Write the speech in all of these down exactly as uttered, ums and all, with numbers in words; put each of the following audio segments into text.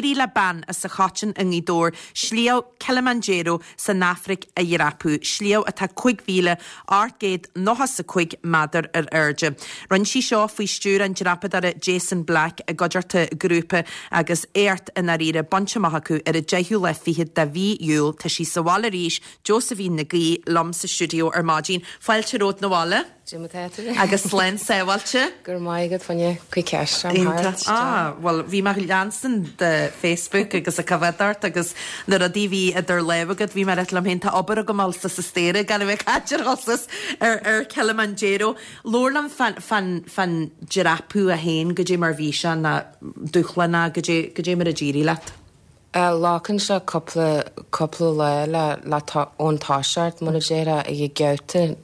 D'éirigh le bean as an Choiteann i nGaoth Dobhair sliabh Kilimanjaro san Afraic a dhreapadh, sliabh atá cúig mhíle ocht gcéad nócha is a cúig méadar ar airde. Rinne sí seo faoi stiúir an dreapadóra Jason Black i gcuideachta grúpa agus éacht i ndáiríre bainte amach acu ar an deichiú lá fichead de mhí Iúil. Tá sí sa bhaile arís, Josephine Nic Aoidh liom sa stiúideo ar maidin. Fáilte romhat 'na bhaile. Agus slán sábháilte. Gur maith agat fanne chuí ceist. Ah, well bhí mé leanstan de Facebook agus ag coimhéad ort agus na rudaí bhí idir lámha agat bhí mé liom féin tá obair agam sa sa stéire gan bheith caidir osas ar ar Kilimanjaro. Labhair liom fan fan fan dreapadh a haon go dtí mar bhí sé na dúshlán go dtí go dtí mar a d'éirigh leat. Glacann sé cúpla cúpla lá le le ón toiseacht mar a déarfá ag geata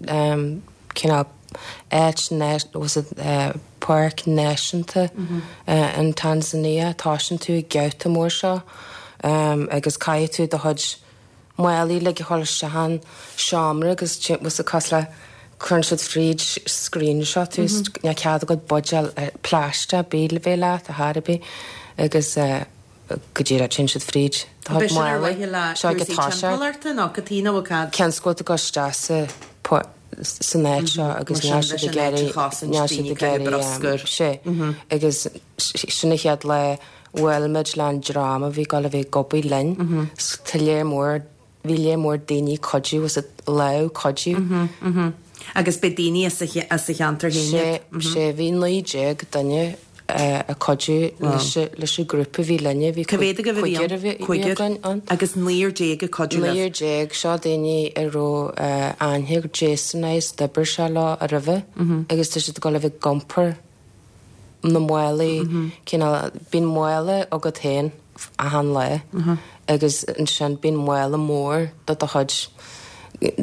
cineál áit was it páirc náisiúnta in Tanzania tosaíonn tú ag geata mór seo agus caithfidh tú do chuid málaí le dhul isteach an seomra agus was cos le cuireann siad fríd screen seo tú níl cead agat buidéal plaisteach bídh le bheith leat a thairbí agus go dtí sin siad fríd seo go toiseacht nó go tí nó cad. Ceann scóta go isteach sa san áit seo agus níl siad ag iarraidh níl siad ag iarraidh sé agus sin an chéad lá bhuail muid le an dream a bhí ag dul a bheith ag obair linn tá léir mór bhí léir mór daoine cuidiú was it lámh cuidiú. Agus be daoine as a cheantar féin. Sé bhí naoi déag duine a cuidiú leis an grúpa bhí linne bhí cúigear a bhí againn ann. Agus naonúr déag ag cuidiú libh. Naonúr déag seo daoine a raibh aithne Jason agus d'oibir sé leo a roimhe agus tá siad ag dul a bheith ag iompar na málaí cineál bíonn mála agat féin achan lá agus ansin bíonn mála mór do do chuid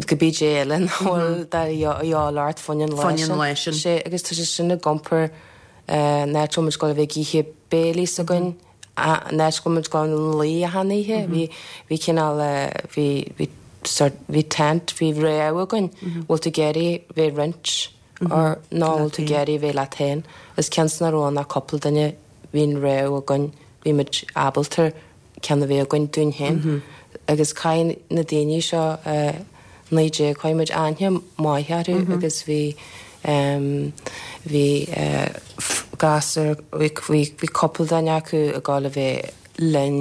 cibé eile nach bhfuil de dhíobháil ort fá choinne an lá sin. Sé agus tá sé sin ag iompar an áit a bhfuil muid ag dul a bheith ag ithe béilí s'againn an áit a bhfuil muid ag dul a luí achan oíche bhí bhí cineál bhí bhí sort bhí tent bhí rogha againn bhfuil tú ag iarraidh bheith roinnt or ná bhfuil tú ag iarraidh bheith leat féin is cionn is nach raibh ann ach cúpla duine bhí an rogha againn bhí muid ábalta ceann a bheith againn dúinn féin agus caithfidh na daoine seo naoi déag chuir muid aithne maith orthu agus bhí bhí gasúr bhí bhí cúpla duine acu ag dul a bheith linn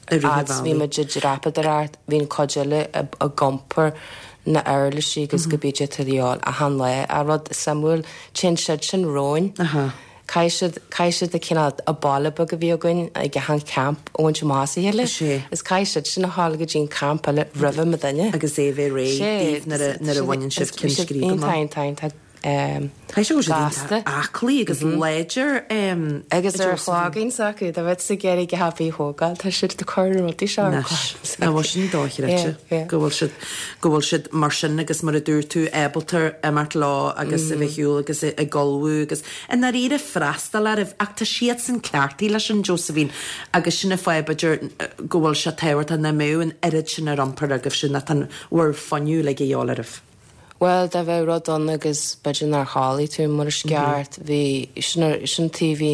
fhad is bhí muid ag dreapadóireacht bhí an cuid eile ag iompar na uirlisí agus cibé atá de dhíobháil achan lá. A rud suimiúil téann siad sin romhainn. Caithfidh siad caithfidh siad a cineál a baile beag a bhí againn ag achan camp a bhaint amach as a chéile. Is caithfidh siad sin a ghabháil go dtí an camp eile roimhe mo duine. Agus é bheith réidh daoibh nuair a nuair a bhaineann sibh ceann scríbe amach. Iontach iontach iontach Caithfidh sé go bhfuil siad iontach aclaí agus láidir Agus ar chloigeann s'acu dá bheadh ag iarraidh go happy thógáil tá siad ag cur na rudaí seo ar Anois, ná bhfuil sin dochreidte go bhfuil siad go bhfuil siad mar sin agus mar a dúirt tú ábalta imeacht leo agus a bheith shiúl agus ag ullmhú agus i ndáiríre freastal oraibh ach tá siadsan cleachtaithe leis sin Josephine agus sin an fáth b'fhéidir go bhfuil sé tábhachtach nach mbeadh an oiread sin ar iompar agaibh sin tá bhur fuinneamh uilig a dhíobháil oraibh. Well dá bheadh rud ann agus b'fhéidir nár chodlaigh tú mar is ceart bhí sin sin taobh bhí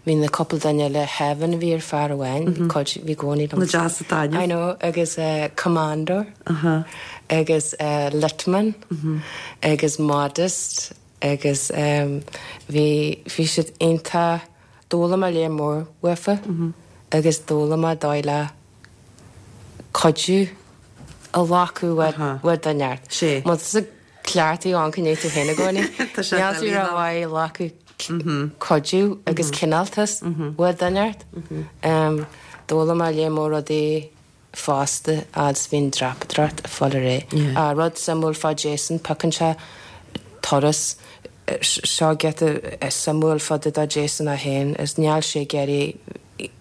bhí na cúpla duine eile Heaven a bhí ar fear amháin cuid bhí gcónaí liom. Na deas atá I know agus uh, Commando uh -huh. agus uh, Litman uh -huh. agus Modest agus um, bhí bhí siad iontach d'fhoghlaim mé léar mór uafa uh -huh. agus d'fhoghlaim mé dóigh le cuidiú a ghlacadh uaidh duine ort. Sé. Má tá cleachtaí ann go tú féin i gcónaí. Tá sé Níl tú ró-mhaith ag glacadh cuidiú agus cineáltas uaidh duine ort. D'fhoghlaim mé léar mór rudaí fosta agus bhí'n dreapadóireacht ag fáil ar aghaidh. A rud suimiúil fá Jason piocann sé turas seo giota suimiúil fá dtaobh de Jason é féin is níl sé ag iarraidh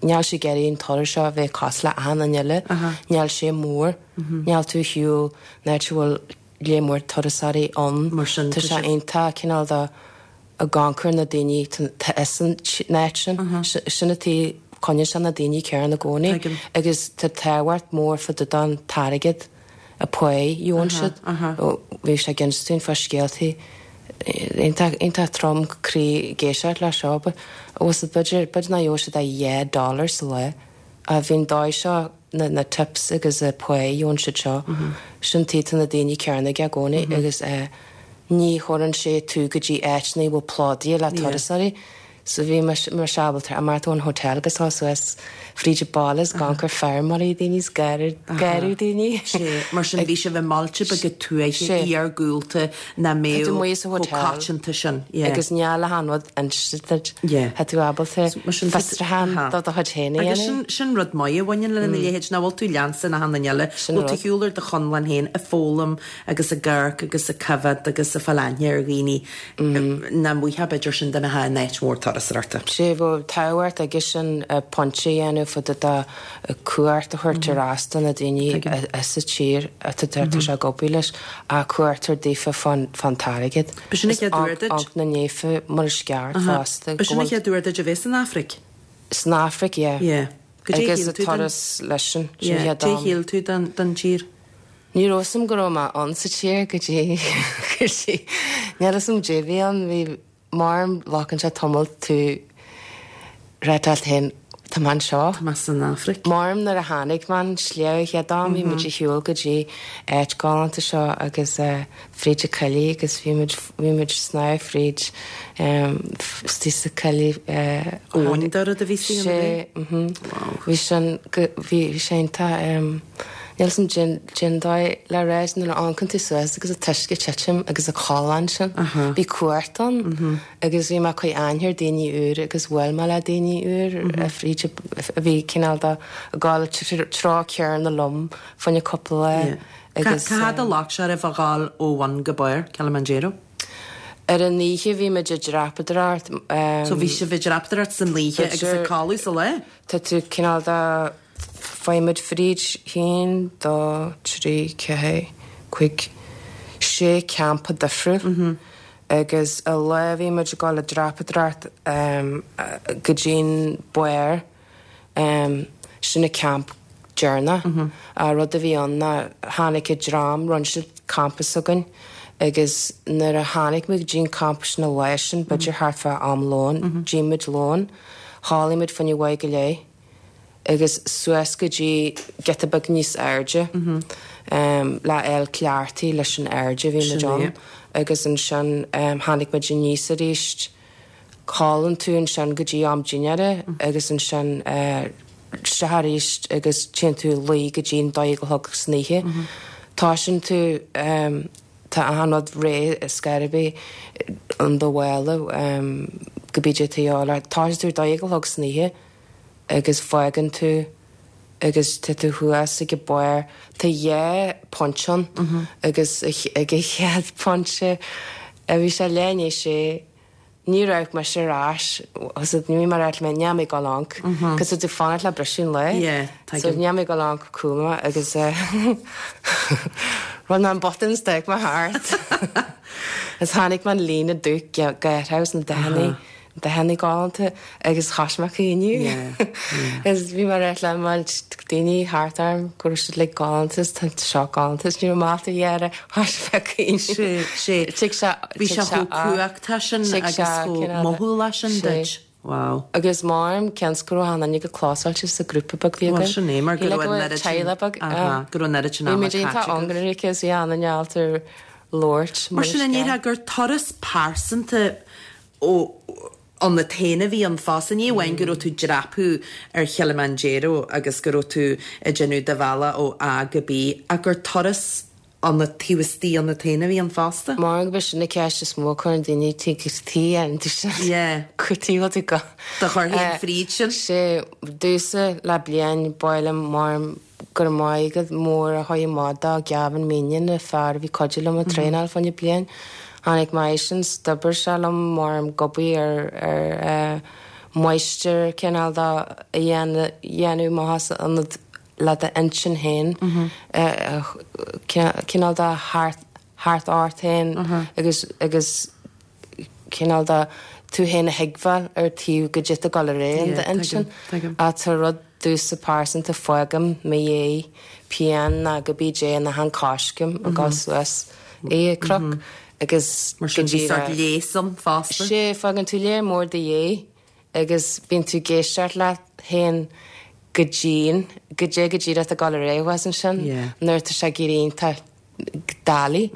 níl sé ag iarraidh an turas seo a bheith cosúil le achan duine eile. Níl sé mór. Níl tú shiúl in áit a bhfuil léar mór turasóirí ann. Mar sin Tá sé iontach cineál de ag amharc ar na daoine tá is an áit sin. Sin atá coinníonn sé na daoine céanna i gcónaí. Tuigim. Agus tá tábhacht mór fá dtaobh den t-airgead a pá a gheobhann siad. Bhí sé ag insint dúinn fá scéaltaí iontach iontach trom croí ag éisteacht le seo but was it b'fhéidir b'fhéidir nach gheobhadh siad ach dhá dollar sa lá A bhí'n dóigh seo na na tips agus a pay ón siad seo sin tí na daoine cearna i gcónaí agus eh, ní chuireann sé tú go dtí áiteanna bhfuil plódaithe le turasóirí. So bhí mar ábalta a mar an hotel agus tá suas fríd balas gan gur feirmeoirí daoine gaiú daoine. Sé, mar sin bhí sibh i mbailte beaga tuaithe iargúlta nach mbeadh chomh coitianta sin. Agus níl achan rud inste Tá tú ábalta fiosrúchán do do chuid féin a Agus sin sin rud maith a bhaineann lena leithéid nach bhfuil tú leansa na hana eile, bhfuil tú shiúl ar do chonlán féin ag foghlaim agus ag amharc agus ag coimhéad agus ag fáil aithne ar dhaoine nach mbeadh b'fhéidir sin dá mbeifeá in áit mhór turasóireachta. Sé bhfuil tábhacht aige sin pointe a dhéanamh fud do cuairt a thabhairt ar ais do na daoine sa tír atá sé ag obair leis a cuairt ar daofa fan fan t-airgead. B'shin an chéad uair duit? Ach na néfa mar is ceart fosta. B'shin an chéad uair duit a bheith san Afraic? San Afraic, yeah. Yeah. Agus a turas leis sin. Cad é shíl tú den den tír? Ní raibh 'fhios a'm go raibh mé ann sa tír go dtí go dtí níl 'fhios a'm dé bhí ann bhí mar glacann sé tamall tú réiteáil féin tá mé anseo. Tá mé san Afraic. Mar nuair a tháinig mé an sliabh chéad am bhí muid ag shiúl go dtí áit galánta seo agus fríd an coillidh agus bhí muid bhí muid snámh fríd istigh sa coillidh. Abhainn de rud a bhí sí Sé bhí sin bhí bhí sé iontach níl 'fhios a'm cén cén dóigh le rá nuair a amharcann tú suas agus an t-uisce ag titim agus an callán sin. Bhí cumhacht ann agus bhí mé ag cur aithne ar daoine úr agus bhuail mé le daoine úr fríd a bhí cineál de ag gabháil treo céanna liom fá choinne cúpla lá agus. Cá fhad a ghlac sé oraibh a ghabháil ó bhun go barr Kilimanjaro? Ar an oíche bhí muid ag dreapadóireacht. So bhí sibh ag dreapadóireacht san oíche agus ag codladh sa lá? Tá tú cineál de Faigheann muid fríd haon, dó, trí, ceathair, cúig, sé campa difriúil agus an lá a bhí muid ag dul ag dreapadóireacht go dtí'n barr, sin an camp deireanach. An rud a bhí ann ná tháinig an dream, rinne siad campa s'againn agus nuair a tháinig muid go dtí'n campa sin an lá sin, b'fhéidir thart fá am lóin, d'ith muid lón, chodlaigh muid fá choinne a dó go leith. agus suas go dtí giota beag níos airde le fháil cleachtaithe leis an airde a bhí muid ann agus ansin tháinig muid aníos arís. Codlaíonn tú ansin go dtí am dinnéara agus ansin isteach arís agus téann tú a luí go dtí an dó dhéag a chlog san oíche. Toisíonn tú tá achan rud réidh ar scor ar bith in do mhála cibé cad atá de dhíobháil ort. Toisíonn tú ar dó dhéag a chlog san oíche. agus fágann tú agus tá tú thuas ag an barr. Tá dhá phointe ann agus ag an chéad phointe a bhí sé leath i ndiaidh a sé ní raibh mise ar ais agus ní bhí mar mé níl mé ag dul amach cos tá tú ag fanacht le briseadh an lae so níl mé ag dul amach cúl agus rinne mé an botún is d'amharc mé thart agus tháinig mé an líne dubh gátha na dathanna. Dathanna galánta agus thosaigh mé ag caoineadh. Agus bhí mé ag ráit le mo daoine thart orm go raibh siad like galánta is tá seo galánta is ní raibh mé ábalta a dhéanamh thosaigh mé ag caoineadh. Sé, sé. Tig sé, Bhí sé chomh cumhachtach sin agus chomh mothúlach sin duit. Wow. Agus maram cionn is go raibh achan duine go clósáilte sa grúpa beag bhí againn. Bhuel sin é mar go raibh an oiread sin, teaghlach beag. Aha, go raibh an oiread sin ama caite agat. Bhí muid iontach ionraic agus bhí achan duine ábalta labhairt Mar sin an ndéarfá gur turas pearsanta ionat féin a bhí ann fosta. Ní amháin go raibh tú ag dreapadh ar Chilimanjaro agus go raibh tú ag déanamh do bhealach ó A go B, ach gur turas ionat, taobh istigh ionat féin a bhí ann fosta. Mar gurb í sin an cheist is mó a chuireann daoine taobh istigh iontu sin. Yeah. Cad chuige a bhfuil tú go. Do chur féin fríd sin. Sé domhsa le bliain b'áil liom mar Go raibh maith agat mór a chuaigh amach do Gavin Meeniyan, an fear a bhí cuidiú liom ag traenáil fá choinne bliain. Tháinig mé eisean 's d'oibir sé liom mar ag obair ar ar máistir cineál de a dhéanamh amach as ionad le d'intinn féin cineál de thart thart ort féin agus agus cineál de tú féin a thuigbheáil ar taobh goidé atá ag dul ar aghaidh in d'intinn. Ach tá rud domhsa pearsanta fágaim mo dhiaidh pian ná cibé cad é in achan coiscéim ag dul suas an cnoc agus Mar sin bhí sórt léas ann fosta. Sea, fágann tú léar mór do dhiaidh agus bíonn tú ag éisteacht leat féin go dian, goidé go díreach ag dul ar aghaidh ansin Yeah. nuair tá sé ag éirí iontach doiligh,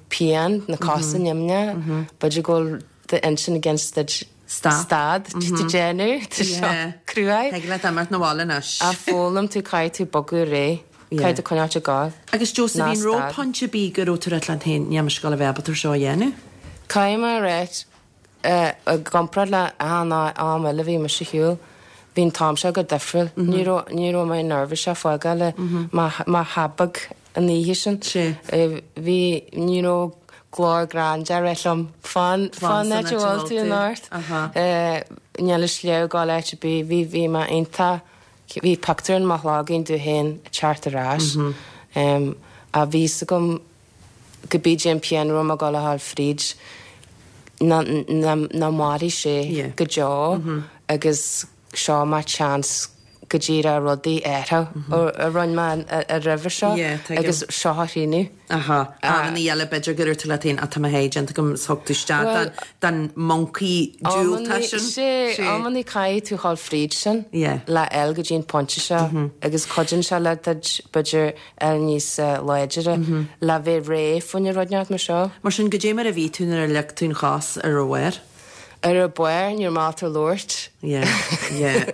pian, na cosa nimhneach, b'fhéidir go bhfuil d'intinn against duit Stop. stad tú déanamh, tá seo Yeah. cruaidh. Thig leat imeacht 'na bhaile anois. A foghlaim tú caithfidh tú bogadh réidh, Yeah. caithfidh tú coinneáil ag gabháil. Agus Josephine Ná stad. raibh pointe ar bith go raibh tú leat féin níl mise ag gabháil a bheith ábalta seo a dhéanamh. Caithfidh mé a rá i gcomparáid le an am eile bhí mise ar shiúl, bhí an t-am seo go difriúil. Ní raibh ní raibh mé nervous a fágáil má thabag an oíche sin. Sé. Bhí ní raibh glór gránda liom fan fan san áit áit a a bhfuil bhfuil tú tú. anocht. Aha. Níl a sliabh gáil áit ar bith, bhí bhí mé iontach bhí pictiúr in mo chloigeann domh féin ag teacht ar ais. Um, a bhí a fhios agam go b'fhéidir an pian raibh mé ag gabháil a fháil fríd na na na mairfidh sé Yeah. go deo agus seo mo chance go díreach rudaí air a rinne mé a roimhe seo Yeah, tuigim. agus seo a rinne. Aha. Amanna eile b'fhéidir go raibh tú leat féin atá mé héideanta go thug tú isteach Well, den moncaí diúltach sin. sé amannaí caithfidh tú dul fríd sin Yeah. le fháil go dtí an pointe seo agus cuidíonn sé le b'fhéidir el níos eh, láidre le bheith réidh faoin rud mar seo. Mar sin goidé mar a bhí tú nuair a lig tú an chos ar a bharr? Ar a barr níor mátar labhairt. Yeah, yeah.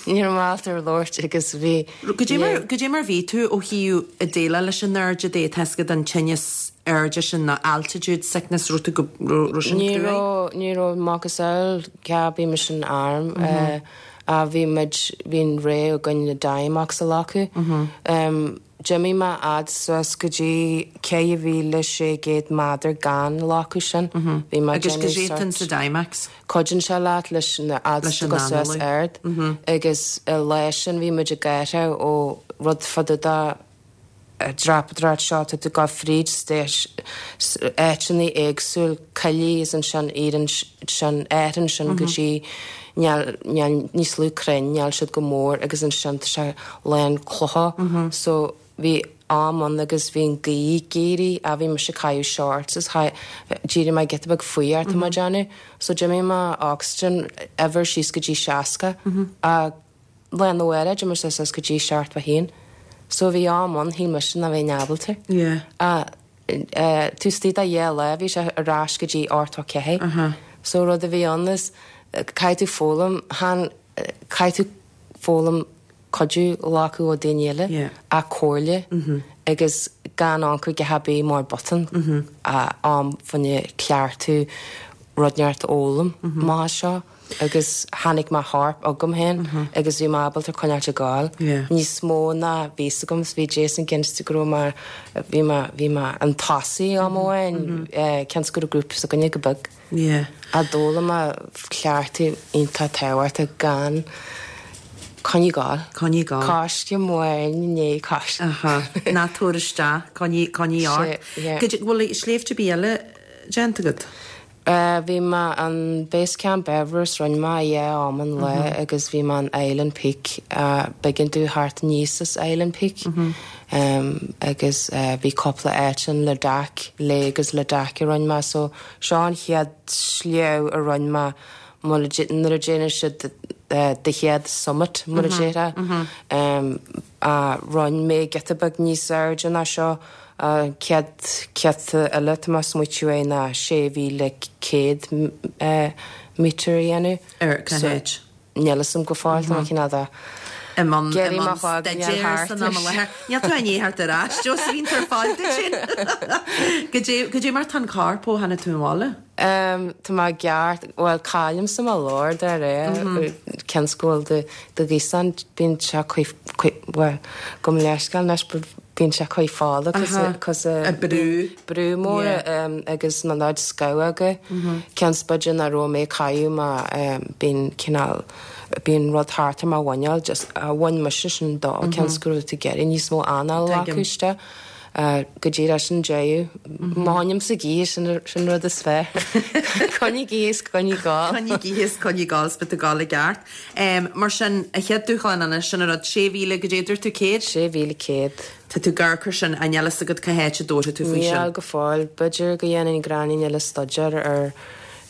Níor mátar labhairt agus bhí Goidé mar goidé mar bhí tú ó thaobh a déileáil leis an airde de tesca den tinneas airde sin na altitude sickness ru go ru sin Ní cruaidh? raibh ní raibh macasamhail bhí mise san arm eh, a bhí muid bhín ré againn na Diamox a ghlacadh. Um, D'imigh mé fhad suas go dtí ceithre mhíle sé chéad méadar gan glacadh sin. Bhí mé Agus go déanamh sétan sort- sa Diamox. Cuidíonn sé leat leis na fhad Leis an go suas análú. ard agus i leis sin bhí muid ag gairthe ó rud fada da dreapadóireacht seo tá tú go fríd stéis áiteanna éagsúil coillí is ansin iad sin éan sin go dtí níl níl níos lú crainn níl siad go mór agus ansin tá sé lán clocha so bhí am ann agus bhí an ghaoth ag éirí a bhí mise ag caitheamh shorts is d'éirigh mé giota beag faoi tá mar déanamh so d'imigh mo oxygen ever síos go dtí seasca a lá nó eile d'imigh sé suas go dtí seachtó a haon. So bhí am ann shíl mise nach mbeinn ábalta. Yeah. A tú tí a dhé le bhí sé ar ais go dtí ochtó ceathair. So rud a bhí ann is caithfidh tú foghlaim han caithfidh tú foghlaim cuidiú a ghlacadh ó daoine eile Yeah. a comhairle agus gan amharc go habí mar button a am faoina ceartú rud neart fhoghlaim má seo agus tháinig má harp agam féin agus bhí mé ábalta coinneáil ag gabháil. Yeah. Níos mó ná bhí agam bhí Jason Ginst go mar bhí mé bhí mé an tosaí am amháin ceann go grúpa sa gcoinne go beag. Yeah. A d'fhoghlaim mé ceartú iontach tábhachtach gan coinneáil ag gabháil. Coinneáil ag gabháil. Coiste mór né coiste. Aha. Ná tabhair isteach coinnigh coinnigh ort. yeah. Bhfuil sléibhte eile déanta agat? Uh, bhí mé an Base Camp Everest rinne mé é am an le agus bhí mé an Island Peak uh, b'éigean domh theacht aníos as Island Peak um, agus uh, bhí cúpla áit in Ladakh le agus Ladakh a rinne mé so seo an chéad sliabh a rinne mé nuair a déanann siad uh, de chéad summit mar a déarfá um, a rinne mé giota beag níos airde ná seo céad céad eile tá mé smaoitiú é ná sé mhíle céad mítre a dhéanamh. Ar cá háit? Níl a fhios agam go fóill tá cin a Im Géirí má fhág san am leher. Níl tú ní thart ar ais, Josephine tar fáilte sin. Goidé mar tá an corp ó tháinig tú abhaile? Um, Tá má geart well cáim sa má lord ar é ken school de de gísan bíonn sé well go leiscail leis bíonn sé chuid fála cos A brú. brú mór um, agus na náid scáige Cean spuide na ro mé caiú má um, bíonn cineál bíonn rud thart ar mar bhaineáil just a bhain mise sin dá ceann scrú tú geir níos mó anáil acuiste. Uh, go dtí sin deireadh Máim sa gí sin sin rud is fe. Coinnigh is coinnigh ag gabháil. Coinnigh is coinnigh ag gabháil spe gála gceart. Um, mar sin a chéad dúshlán anna sin a rud sé mhíle go dtéidir tú céad? Sé mhíle céad. Tá tú garchur sin an eile agad cá háit a dóirte tú faoi Níl sin. go fóill b'fhéidir go dhéanfainn gráinnín eile staidéar ar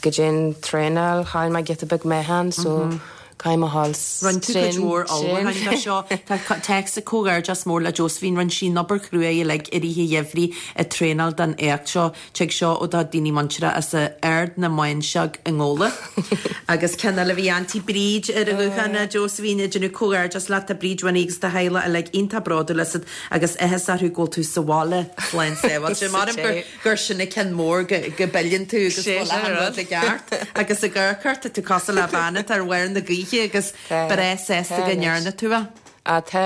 go dtéann traenáil chaill mé giota beag meáchan so Caithfidh mé a ghabháil Rinne tú cuid mhór ullmhúcháin do seo. Tá téacs comhghairdeas mór le Josephine, rinne sí an obair chrua uilig i rith an gheimhridh ag traenáil don éacht seo. Tig seo ó do daoine muinteartha as Ard na Mainseag i nGabhla. Agus ceann eile bhí Auntie Bríd ar an ghuthán a Josephine ag déanamh comhghairdeas leat tá Bríd Winnie agus do theaghlach uilig iontach bródúil asat agus áthas orthu go bhfuil tú sa bhaile slán sábháilte. Maram gur gur sin an ceann mór go go bpilleann tú agus Sé go bhfuil achan rud i gceart agus ag amharc ort tá tú cosúil le bean atá ar bharr na gaoithe agus breá sásta go ndearna tú é. A tá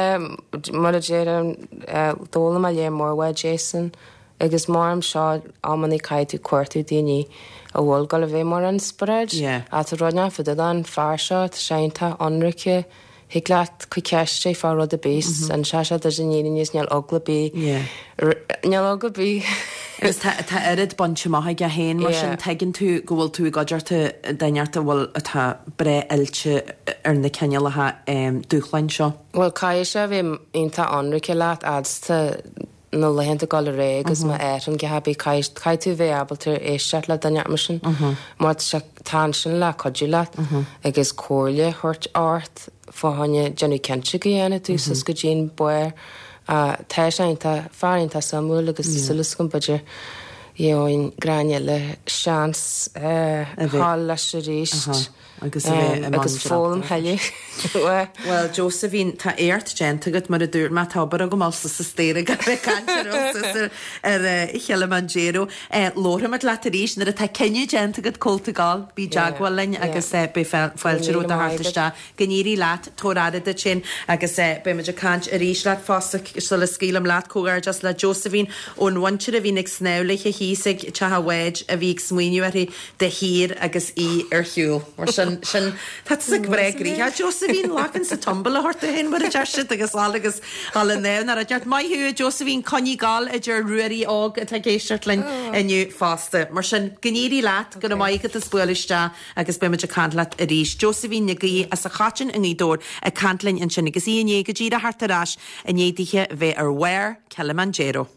mar a deirim d'fhoghlaim mé lear mór uaidh Jason agus mar am seo amannaí caithfidh tú cuartú daoine a bhfuil go le bheith mar inspioráid. Yeah. A tá rud fá dtaobh den fear seo tá sé iontach ionraice thig leat cur ceiste fá rud ar bith an sé sé idir níos níl eagla ar bith. Yeah. Níl eagla ar bith. Agus tá tá oiread bainte amach aige féin mar sin Yeah. tuigeann tú go bhfuil tú i gcuideachta duine a bhfuil atá breá oilte ar na cineálacha um, dúshláin seo. Well caithfidh sé bheith iontach ionraice leat fhadsta na laethanta go ré agus má an go caithfidh tú bheith ábalta éisteacht le duine mar sin mar tá tá sin le cuidiú leat agus comhairle a thabhairt ort fá choinne déanamh cinnte go dhéanfaidh tú suas go dtí'n barr tá sé iontach fear iontach suimiúil agus súil agam b'fhéidir gheobhainn Gráinne le seans ghabháil leis arís. agus a bheith i mbun agus foghlaim tuilleadh. Well Josephine tá éacht déanta agat mar a dúirt mé tá obair agam sa sa stéir go caint ar Kilimanjaro. Labhróimid leat arís nuair atá cinneadh déanta agat cá bhfuil tú ag gabháil bí i dteagmháil linn agus beidh fáilte romhat a theacht isteach. Go n-éirí leat tabhair aire duit féin agus beimid ag caint arís leat fosta sula scaoilim leat comhghairdeas le Josephine ón mhuintir a bhíonn ag snámh léi thíos ag teach an bháid a bhí ag smaoineamh uirthi de shíor agus í ar shiúl. Mar sin sin tá sa bhreá grícha Josephine lachan sa tumble a thort héin mar a deir siad agus all agus all an ná a deart Maith thú Josephine coinnigh ag gabháil idir Ruairí óg atá ag éisteacht linn inniu fosta. Mar sin go n-éirí leat go maith go spóil isteach agus beimid ag caint leat arís. Josephine Nic Aoidh as an Choiteann i nGaoth Dobhair ag caint linn ansin agus í inné go díreach thart ar ais i ndiaidh di bheith ar bharr Kilimanjaro.